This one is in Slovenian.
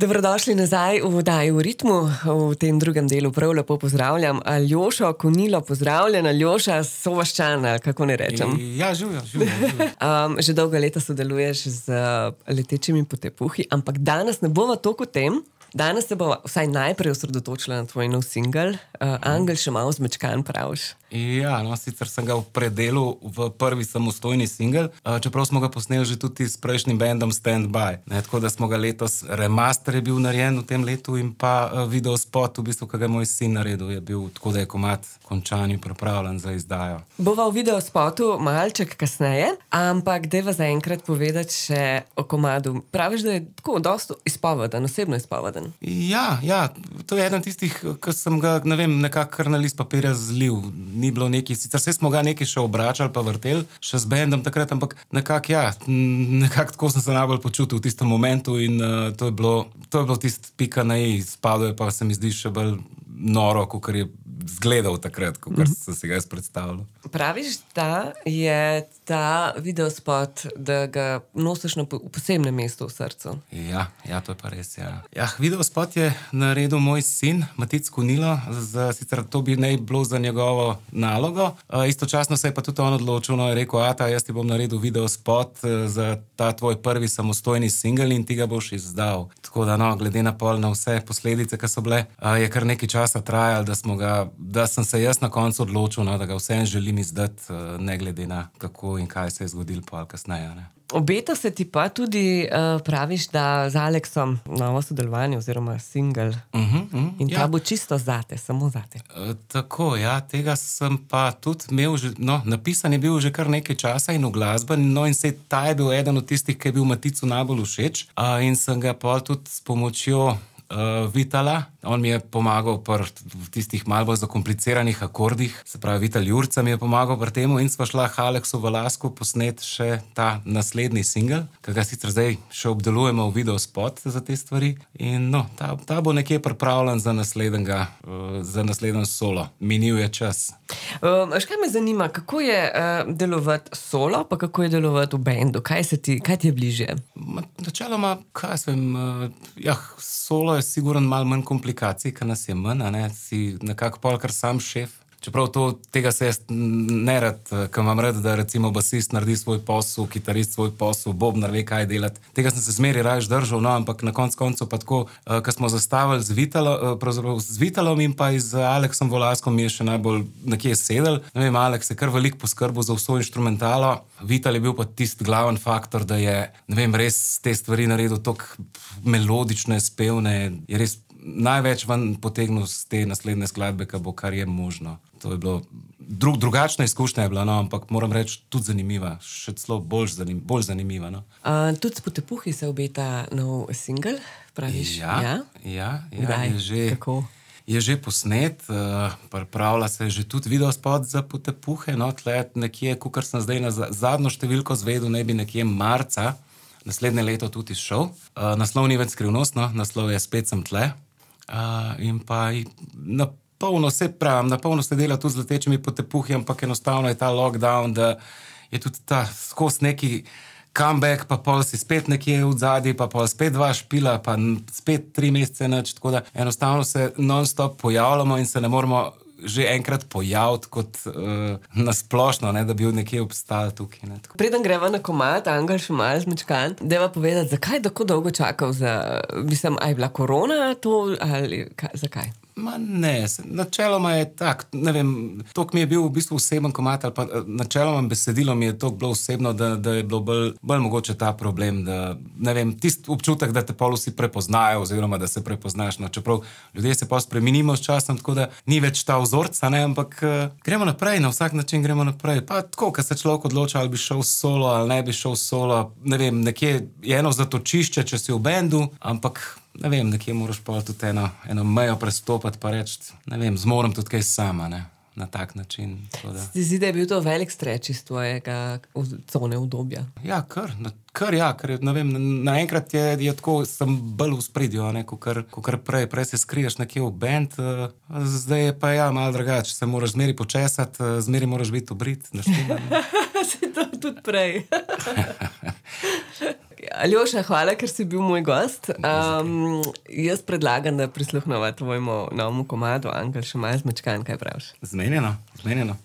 Dobrodošli nazaj v oddaji V ritmu. V tem drugem delu prav lepo pozdravljam Aljošo Konilo. Pozdravljen, Aljoša, sovaščan, kako ne rečem. Ja, živjo. Že dolga leta sodeluješ z letečimi potepuhi, ampak danes ne bova toliko o tem. Danes se bova vsaj najprej osredotočila na tvoj nov singel, Angel še malo zmečkan, praviš. Ja, sicer sem ga v predelu v prvi samostojni singel, čeprav smo ga posneli že tudi s prejšnjim bandom Stand By. Tako da smo ga letos, remaster je bil narejen v tem letu in pa videospot, v bistvu, ki ga je moj sin naredil, je bil tako, da je komad končan in pripravljen za izdajo. Bova v videospotu malček kasneje, ampak dajva zaenkrat povedati še o komadu. Praviš, da je tako dosto izpoveden, osebno izpoveden. Ja, to je eden tistih, ki sem ga, nekako kar na list papirja zlil. Ni bilo nekaj, sicer se smo ga nekaj še obračali pa vrteli, še z bandom takrat, ampak nekako tako sem se najbolj počutil v tistem momentu in to je bilo tist pika na i, spadlo je pa se mi zdi še bolj noro, kakor je zgledal takrat, kakor sem si ga jaz predstavljal. Praviš, da je ta videospot, da ga nosiš na posebnem mestu v srcu? Ja, to je pa res, ja. Videospot je naredil moj sin, Matic Konilo, sicer to bi naj bilo za njegovo nalogo. Istočasno se je pa tudi on odločil, je rekel, jaz ti bom naredil videospot za ta tvoj prvi samostojni singel in ti ga boš izdal. Tako da, glede na vse posledice, ki so bile, je kar nekaj časa trajalo, da sem se jaz na koncu odločil, da ga vsem želim izdati, ne glede na kako in kaj se je zgodilo pa kasneje. Obeta se ti pa tudi, praviš, da z Aleksom novo sodelovanje oziroma singel in ta bo čisto zate, samo zate. Tako, tega sem pa tudi imel že, napisan je bil že kar nekaj časa in uglasben, in ta je bil eden od tistih, ki je bil Maticu najbolj všeč, in sem ga pa tudi s pomočjo Vitala, on mi je pomagal pri tistih malo bolj zakompliciranih akordih, se pravi Vital Jurca mi je pomagal pri temu in sva šla Aleksu v Lasku posnet še ta naslednji singel, ki ga sicer zdaj še obdelujemo v videospot za te stvari in ta bo nekje pripravljen za naslednji solo. Minil je čas. Kaj me zanima, kako je delovati solo, pa kako je delovati v bendu? Kaj ti je bližje? Načeloma, solo je sigurno malo manj komplikacij, ker nas je manj, si nekako pol kar sam šef. Čeprav tega se jaz ne rad, ker imam rad, da recimo basist naredi svoj posel, kitarist svoj posel, bobnar ve, kaj delati. Tega sem se zmeri raje držal, ampak na koncu pa tako, ko smo zastavili z Vitalom in pa z Aleksom Volaskom mi je še najbolj nekje sedel. Aleks je kar veliko poskrbel za vso inštrumentalo. Vital je bil pa tisti glaven faktor, da je, res te stvari naredil toliko melodične, spevne, je res največ ven potegnil z te naslednje skladbe, kar je možno. To je bilo, drugačna izkušnja je bila, ampak moram reči, tudi zanimiva, še celo bolj zanimiva. Tudi s potepuhi se obeta nov singel, praviš? Ja, je že posnet, pripravlja se že tudi videospot za potepuhe, tle nekje, kakor sem zdaj na zadnjo številko zvedel, ne bi nekje marca naslednje leto tudi izšel. Naslov ni več skrivnost, naslov je Spet sem tle. In pa na polno se dela tudi z letečimi potepuhi, ampak enostavno je ta lockdown, da je tudi ta skos neki comeback, pa pol si spet nekje v zadnji, pa pol spet 2 špila, pa spet 3 mesece nič, tako da enostavno se non-stop pojavljamo in se ne moramo že enkrat pojaviti kot nasplošno, da bi nekje obstajal tukaj. Preden greva na komad, Angel še malo zmečkan, dajva povedati, zakaj tako dolgo čakal a je bila korona to ali zakaj? Ne, načeloma je tak, toliko mi je bil v bistvu oseben komad, ali pa načeloma besedilo mi je toliko bilo osebno, da je bilo bolj mogoče ta problem, da, tist občutek, da te pol vsi prepoznajo, oziroma da se prepoznaš, čeprav ljudje se pa spremenimo s časom, tako da ni več ta vzorca, ampak gremo naprej, na vsak način gremo naprej. Pa tako, ko se človek odloča, ali bi šel solo, ali ne bi šel solo, nekje je eno zatočišče, če si v bendu, ampak nekje moraš pa tudi eno mejo prestopati pa reči, zmorem tudi kaj sama, na tak način. Ti zdi, da je bil to velik streč iz tvojega cone udobja? Ja, ker naenkrat je tako, sem bolj v spredju, kakor prej se skriješ nekje v band, zdaj je pa malo drugače, se moraš zmeri počesati, zmeri moraš biti obrit, Se to tudi prej. Aljoša, hvala, ker si bil moj gost. Jaz predlagam, da prisluhnemo tvojemu novemu komadu, Angel še malo zmečkan, kaj praviš? Zmenjeno.